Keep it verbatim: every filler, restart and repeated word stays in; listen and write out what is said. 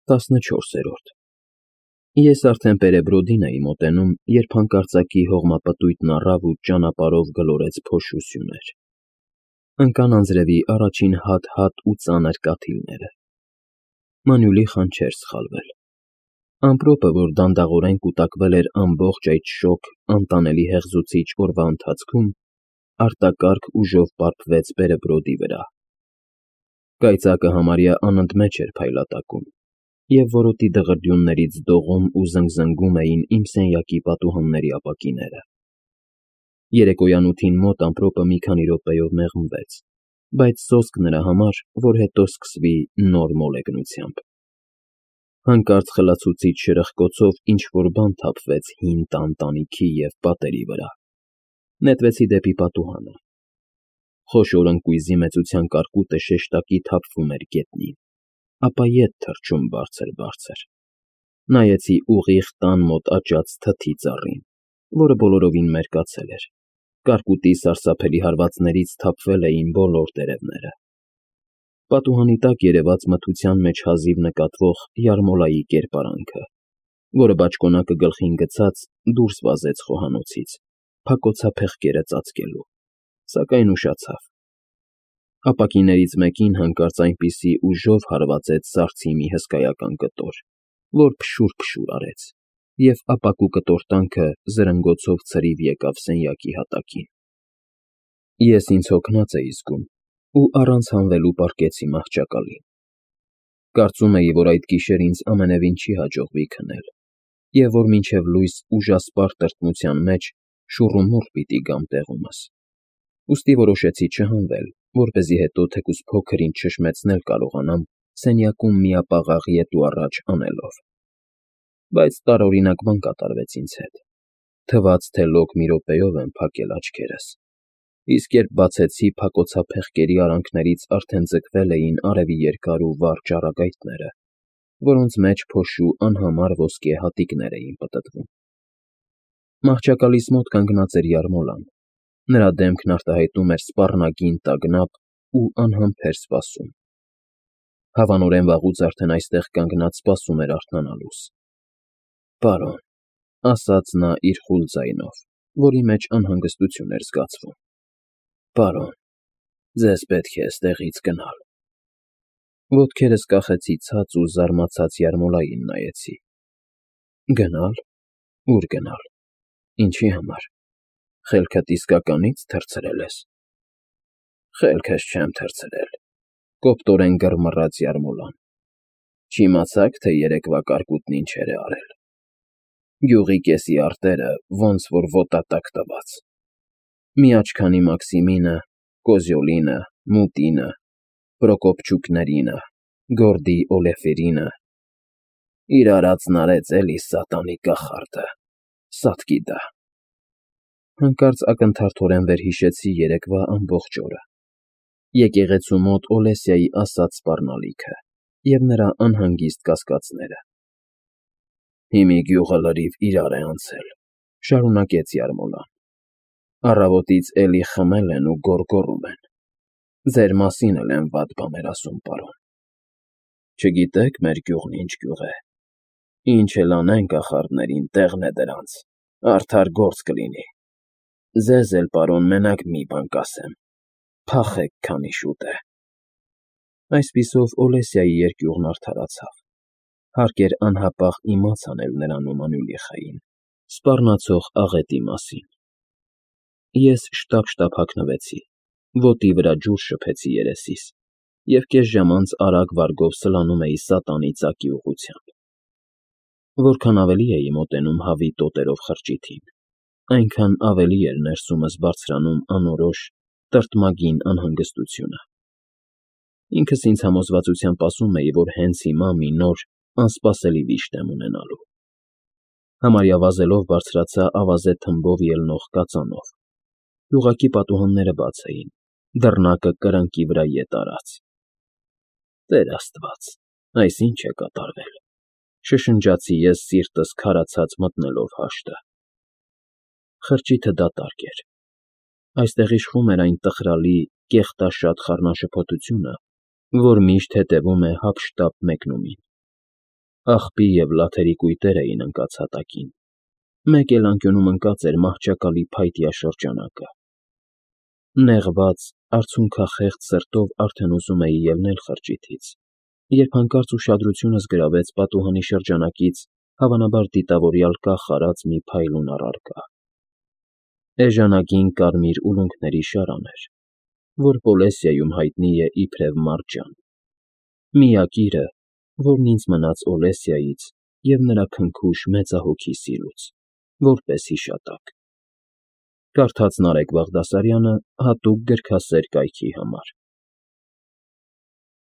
տասնչորսերորդ Ես արդեն Պերեբրոդին էի մոտենում, երբ հանկարծակի հողմապտույտն առավ ու ճանապարհով գլորեց փոշու սյուներ. ընկան անձրևի առաջին հատ֊հատ ու ծանր կաթիլները։ Մանյուլի խան չէր սխալվել. ամպրոպը, որ դանդաղորեն կուտակվել էր ամբողջ այդ շոգ, անտանելի հեղձուցիչ օրվա ընթացքում, արտակարգ ուժով պարփվեց Պերեբրոդի վրա։ Կայծակը համարյա անընդմեջ էր փայլատակում, և որոտի դղրդյուններից դողում ու զնգզնգում էին իմ սենյակի պատուհանների ապակիները։ Երեկոյան ութին մոտ ամպրոպը մի քանի րոպեով մեղմվեց, բայց սոսկ նրա համար, որ հետո սկսվի նոր մոլեգնությամբ։ Հանկարծ խլացուցիչ շրխկոցով ինչ֊որ բան թափվեց հին տան տանիքի և պատերի վրա։ Նետվեցի դեպի պատուհանը։ Խոշոր ընկույզի մեծության կարկուտը շեշտակի թափվում էր գետնին, ապա ետ թռչում բարձր֊բարձր։ Նայեցի ուղիղ տան մոտ աճած թթի ծառին, որը բոլորովին մերկացել էր, կարկուտի սարսափելի հարվածներից թափվել էին բոլոր տերևները։ Պատուհանի տակ երևաց մթության մեջ հազիվ նկատվող յարմոլայի կերպարանքը, որը բաճկոնակը գլխին գցած դուրս վազեց խոհանոցից, փակոցափեղկերը ծածկելու, սակայն ուշացավ։ Ապակիներից մեկին հանկարծ այնպիսի ուժով հարվածեց սառցի մի հսկայական կտոր, որ փշուր֊փշուր արեց, և ապակու կտորտանքը զրնգոցով ցրիվ եկավ սենյակի հատակին։ Ես ինձ հոգնած էի զգում ու առանց հանվելու պառկեցի մահճակալին։ Կարծում էի, որ այդ գիշեր ինձ ամենևին չի հաջողվի քնել, և որ մինչև լույս ուժասպառ տրտմության մեջ շուռումուռ պիտի գամ տեղումս, ուստի որոշեցի չհանվել, որպեսզի հետո թեկուզ փոքր֊ինչ շշմեցնել կարողանամ սենյակում միապաղաղ ետ ու առաջ անելով։ Բայց տարօրինակ բան կատարվեց ինձ հետ. թվաց, թե լոկ մի րոպեով եմ փակել աչքերս, իսկ երբ բացեցի, փակոցափեղկերի արանքներից արդեն ձգվել էին արևի երկար ու վառ ճառագայթները, որոնց մեջ փոշու անհամար ոսկե հատիկներ էին պտտվում։ Մահճակալիս մոտ կանգնած էր յարմոլան, նրա դեմքն արտահայտում էր սպառնագին տագնապ ու անհամբեր սպասում։ Հավանորեն վաղուց արդեն այստեղ կանգնած սպասում էր արթնանալուս։ Պարոն, ֊ ասաց նա իր խուլ ձայնով, որի մեջ անհանգստություն էր զգացվում, ֊ պարոն, ձեզ պետք է էստեղից գնալ։ Ոտքերս կախեցի ցած ու զարմացած յարմոլային նայեցի։ Գնա՞լ, ո՞ւր գնալ, ինչի համար, խելքդ իսկականի՞ց թռցրել ես։ Խելքս չեմ թռցրել, ֊ կոպտորեն գռմռաց յարմոլան։ Չիմացա՞ք, թե երեկվա կարկուտն ինչեր է արել։ Գյուղի կեսի արտերը ոնց որոտատակ տված։ Միաչքանի Մաքսիմինը, Կոզյոլինը, Մուտինը, Պրոկոպչուկներինը, Գորդի Օլեֆերինը, իր արածն արեց էլի սատանի կախարդը, Սատկիդա։ Հանկարծ ակնթարթորեն վերհիշեցի երեկվա ամբողջ օրը, եկեղեցու մոտ Օլեսիայի ասած սպառնալիքը և նրա անհանգիստ կասկածները։ Հիմի գյուղը լրիվ իրար է անցել, ֊ շարունակեց յարմոլան։ Առավոտից էլի խմել են ու գոռգոռում են։ Ձեր մասին էլ են վատ բաներ ասում, պարոն։ Չգիտեք մեր գյուղն ինչ գյուղ է, ինչ էլ անեն կախարդներին, տեղն է դրանց, արդար գործ կլինի։ Ձեզ էլ, պարոն, մենակ մի բան կասեմ, փախեք, քանի շուտ է։ Այսպիսով Օլեսիայի երկյուղն արդարացավ, հարկ էր անհապաղ իմաց անել նրան ու Մանուլիխային սպառնացող աղետի մասին։ Ես շտապ֊շտապ հագնվեցի, ոտի վրա ջուր շփեցի երեսիս և կես ժամ անց արագ վարգով սլանում էի սատանի ծակի ուղղությամբ։ Որքան ավելի էի մոտենում հավի տոտերով խրճիթին, այնքան ավելի էր ներսումս բարձրանում անորոշ, տրտմագին անհանգստությունը։ Ինքս ինձ համոզվածությամբ ասում էի, որ հենց հիմա մի նոր, անսպասելի վիշտ եմ ունենալու։ Համարյա վազելով բարձրացա ավազե թմբով ելնող կածանով։ Գյուղակի պատուհանները բաց էին, դռնակը կրկնակի վրա ետ արած։ Տեր Աստված, այս ի՞նչ է կատարվել, ֊ շշնջացի ես սիրտս քարացած մտնելով հաշտը։ Խրճիթը դատարկ էր։ Այստեղ իշխում էր այն տխրալի, կեղտաշատ խառնաշփոթությունը, որ միշտ հետևում է հափշտապ մեկնումին։ Աղբի և լաթերի կույտեր էին ընկած հատակին, մեկ էլ անկյունում ընկած էր մահճակալի փայտյա շրջանակը։ Նեղված, արցունքախեղճ սրտով արդեն ուզում էի ելնել խրճիթից, երբ հանկարծ ուշադրությունս գրավեց պատուհանի շրջանակից հավանաբար դիտավորյալ կախ արած մի փայլուն առարկա. էժանագին կարմիր ուլունքների շարան էր, որ Պոլեսիայում հայտնի է իբրև մարջան, միակիրը, որն ինձ մնաց Օլեսիայից և նրա քնքուշ մեծահոգի սիրուց, որպես հիշատակ. կարդաց Նարեկ Բաղդասարյանը հատուկ գրքասեր կայքի համար։